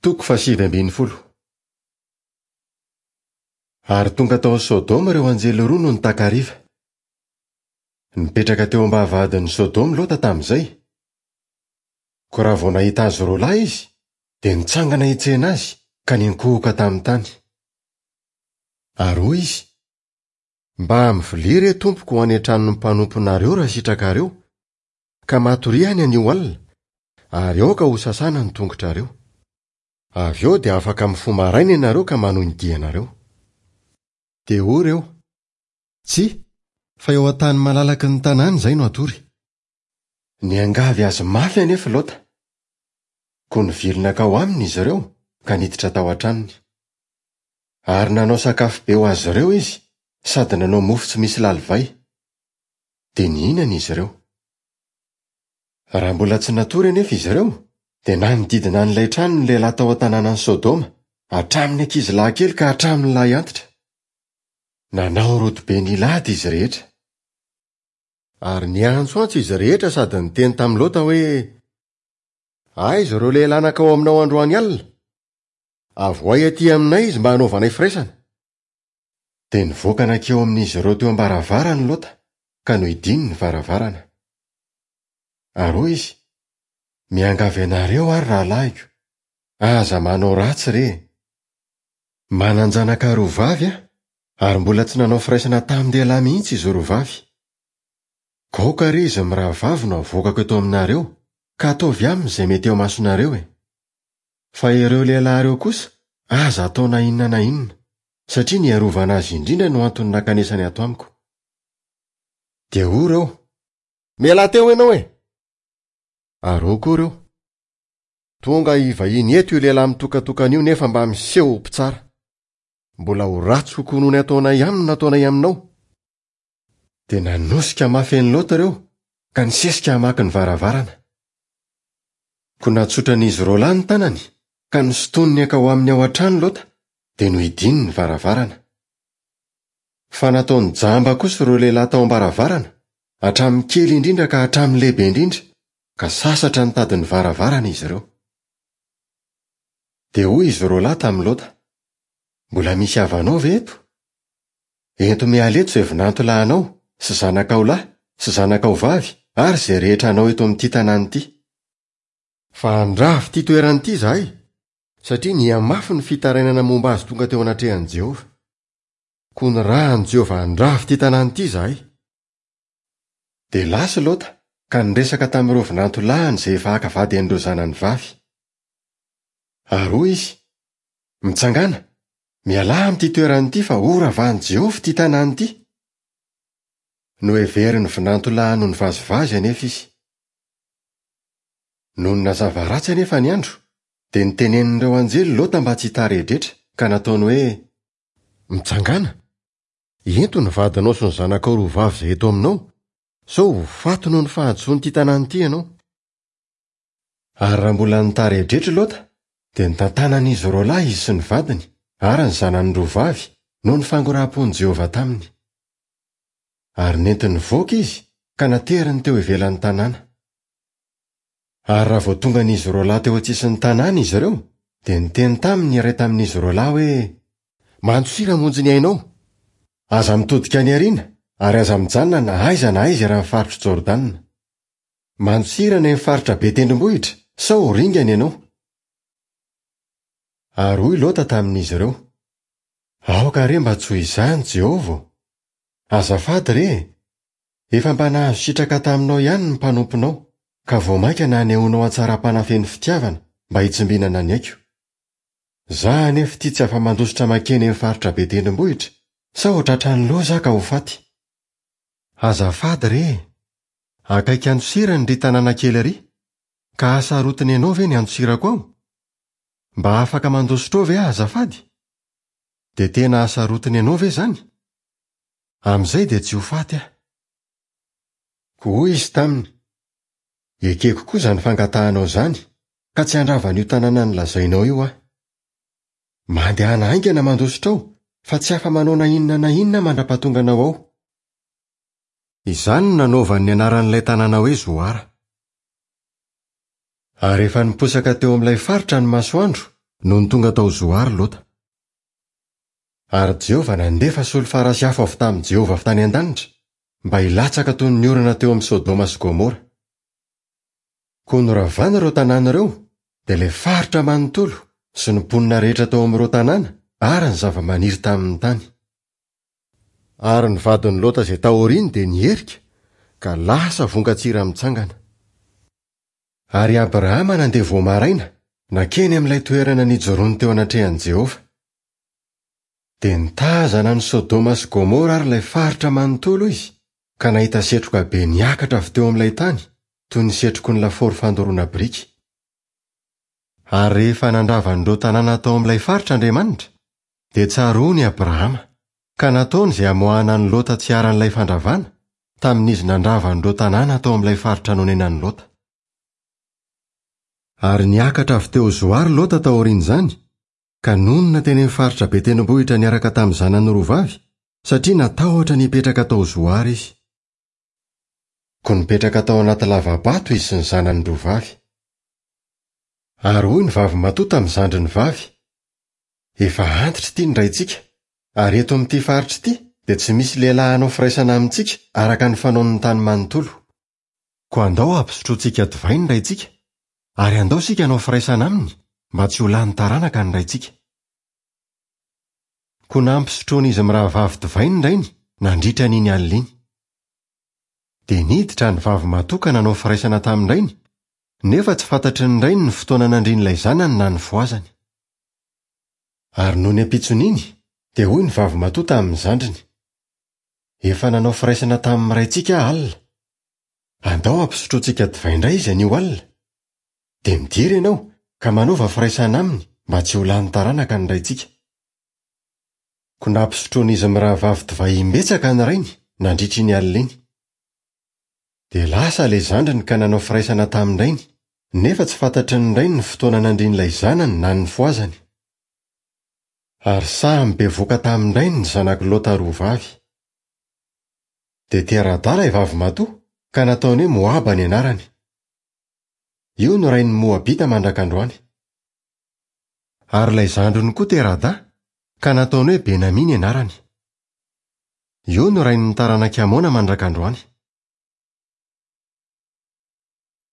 Toko fahasivy ambin'ny folo. Ary tonga tao Sodoma ireo anjely roa nony takariva. Nipetraka teo am-bavahadin'i Sodoma Lota tamin'izay. Koa raha vao nahita azy roa lahy izy, dia nitsangana hitsena azy ka niankohoka tamin'ny tany. Ary hoy izy, Mba mivilia re tompoko ho any an-tranon'ny mpanomponareo raha sitrakareo, ka matoria any anio alina, ary aoka hosasana ny tongotrareo. Avy eo dia afaka mifoha maraina ianareo ka manohy ny dianareo. Dia hoy ireo, Tsia, fa eo an-tany malalaky ny tanàna izay no hatory. Niangavy azy mafy anefa i Lota. Koa nivily nankao aminy izy ireo ka niditra tao an-tranony. Ary nanao sakafo be ho azy ireo izy sady nanao mofo tsy misy lalivay. Dia nihinana izy ireo. Raha mbola tsy natory anefa izy ireo, dia nanodidina an'ilay trano ny lehilahy tao an-tanànan'i Sodoma, hatramin'ny ankizilahy kely ka hatramin'ny lahy antitra. Nanao rodobe nilady izy rehetra. Ary niantsoantso izy rehetra sady niteny tamin'i Lota hoe, Aiza ireo lehilahy nankao aminao androany alina? Avohay aty aminay izy mba hanaovanay firaisana. Dia nivoaka nankeo amin'izy ireo teo am-baravarany Lota, ka nohidiany ny varavarana. Ary hoy izy, Miangavy anareo aho, ry rahalahiko, aza manao ratsy re! Manan-janaka roa vavy aho, ary mbola tsy nanao firaisana tamin-dehilahy mihitsy izy roa vavy. Aoka re izy mirahavavy no avoakako eto aminareo, ka ataovy aminy izay mety eo imasonareo e! Fa ireo lehilahy ireo kosa, aza atao na inona na inona, satria ny hiarovana azy indrindra no antony nankanesany ato amiko. Dia hoy ireo, Mialà teo ianao e! Ary hoy koa ireo, Tonga hivahiny eto io lehilahy mitokatokana io nefa mba miseho ho mpitsara. Mbola ho ratsy kokoa noho ny ataonay aminy no ataonay aminao. Dia nanosika mafy an'i Lota ireo ka nisesika hamaky ny varavarana. Koa natsotran'izy roalahy ny tanany ka nosintoniny hankao aminy ao an-trano Lota, dia nohidiany ny varavarana. Fa nataony jamba kosa ireo lehilahy tao am-baravarana, hatramin'ny kely indrindra ka hatramin'ny lehibe indrindra, ka sasatra nitady ny varavarana izy ireo. Dia hoy izy roalahy tamin'i Lota, Mbola misy havanao ve eto? Ento miala eto izay vinanto lahinao, sy zanakao lahy, sy zanakao vavy, ary izay rehetra anao eto amin'ity tanàna ity. Fa handrava ity toerana ity izahay, satria nihamafy ny fitarainana momba azy tonga teo anatrehan'i Jehovah. Koa nirahan'i Jehovah handrava ity tanàna ity izahay. Dia lasa i Lota, ka niresaka tamin'ireo vinanto lahiny izay efa haka vady an'ireo zanany vavy. Ary hoy izy, Mitsangàna, mialà amin'ity toerana ity fa horavahan'i Jehovah ity tanàna ity. Noheverin'ny vinanto lahiny ho nivazivazy anefa izy. Nony nazava ratsy anefa ny andro, dia notenenin'ireo anjely Lota mba tsy hitaredretra, ka nataony hoe, Mitsangàna, ento ny vadinao sy ny zanakao roa vavy izay eto aminao, sao ho faty noho ny fahadisoan'ity tanàna ity ianao. Ary raha mbola nitaredretra i Lota, dia nitantanan'izy roalahy izy sy ny vadiny ary ny zanany roa vavy noho ny fangoraham-pon'i Jehovah taminy. Ary nentiny nivoaka izy ka nateriny teo ivelan'ny tanàna. Ary raha vao tongan'izy roalahy teo an-tsisin'ny tanàna izy ireo, dia niteny taminy ny iray tamin'izy roalahy hoe, Mandosira hamonjy ny ainao! Aza mitodika any aoriana, ary aza mijanona na aiza na aiza eran'ny faritr'i Jordana. Mandosira any amin'ny faritra be tendrombohitra, sao ho ringana ianao. Ary hoy Lota tamin'izy ireo, Aoka re mba tsy ho izany, Jehovah ô! Azafady re e! Efa mba nahazo sitraka taminao ihany ny mpanomponao, ka vao mainka nanehoanao hatsaram-panahy feno fitiavana mba hitsimbinana ny aiko. Izaho anefa ity tsy afa-mandositra mankeny amin'ny faritra be tendrombohitra, sao ho tratran'ny loza aho ka ho faty. Azafady re e! Akaiky andosirany ry tanàna kely ry, ka hasarotiny ianao ve ny handosirako ao? Mba afaka mandositra ao ve aho azafady? Dia tena hasarotiny ianao ve izany? Amin'izay dia tsy ho faty aho. Koa hoy izy taminy, Ekeko koa izany fangatahanao izany, ka tsy handrava an'io tanàna nolazainao io aho. Mandehana haingana mandositra ao, fa tsy afa-manao na inona na inona aho mandra-pahatonganao ao. Izany no nanaovany ny anaran'ilay tanàna hoe Zoara. Ary rehefa niposaka teo amin'ilay faritra ny masoandro, Nony tonga tao Zoara Lota. Ary Jehovah nandefa solifara sy afo avy tamin'i Jehovah avy tany an-danitra, mba hilatsaka toy ny orana teo amin'i Sodoma sy Gomora. Koa noravana ireo tanàna ireo, dia ilay faritra manontolo sy ny mponina rehetra tao amin'ireo tanàna ary ny zavamaniry tamin'ny tany. Ary ny vadin'i Lota izay taoriany dia niherika, ka lasa vongan-tsira mitsangana. Ary Abrahama nandeha vao maraina, nankeny amin'ilay toerana nijoroany teo anatrehan'i Jehovah. Dia nitazana an'i Sodoma sy Gomora ary ilay faritra manontolo izy, ka nahita setroka be niakatra avy teo amin'ilay tany, toy ny setroky ny lafaoro fandoroana biriky. Ary rehefa nandrava an'ireo tanàna tao amin'ilay faritra Andriamanitra, dia tsaroany i Abrahama, ka nataony izay hamoahana an'i Lota tsy hiharan'ilay fandravana, tamin'izy nandrava an'ireo tanàna tao amin'ilay faritra nonenan'i Lota. Ary niakatra avy teo Zoara Lota taorian'izany, ka nonina teny amin'ny faritra be tendrombohitra niaraka tamin'ny zanany roa vavy, satria natahotra ny hipetraka tao Zoara izy. Koa nipetraka tao anaty lava-bato izy sy ny zanany roa vavy. Ary hoy ny vavimatoa tamin'ny zandriny vavy, Efa antitra ity ny raintsika, ary eto amin'ity faritra ity dia tsy misy lehilahy hanao firaisana amintsika araka ny fanaon'ny tany manontolo. Koa andao hampisotrointsika divay ny raintsika, ary andao isika hanao firaisana aminy mba tsy ho lany taranaka ny raintsika. Koa nampisotroin'izy mirahavavy divay ny rainy nandritra an'iny alina iny. Dia niditra ny vavimatoa ka nanao firaisana tamin-drainy, nefa tsy fantatry ny rainy ny fotoana nandrian'ilay zanany na nifohazany. Ary nony ampitson'iny, dia hoy ny vavimatoa tamin'ny zandriny, Efa nanao firaisana tamin'ny raintsika aho alina. Andao hampisotroantsika divay indray izy anio alina. Dia midira ianao ka manaova firaisana aminy mba tsy ho lany taranaka ny raintsika. Koa nampisotroan'izy mirahavavy divay imbetsaka ny rainy nandritra iny alina iny. Dia lasa ilay zandriny ka nanao firaisana tamin-drainy, nefa tsy fantatry ny rainy ny fotoana nandrian'ilay zanany na nifohazany. Ary samy bevoka tamin-drainy ny zanak'i Lota roa vavy. Dia tera-dahy ilay vavimatoa, ka nataony hoe Moaba ny anarany. Io no rain'ny Moabita mandrak'androany. Ary ilay zandriny koa tera-dahy, ka nataony hoe Benamia ny anarany. Io no rain'ny taranak'i Amona mandrak'androany.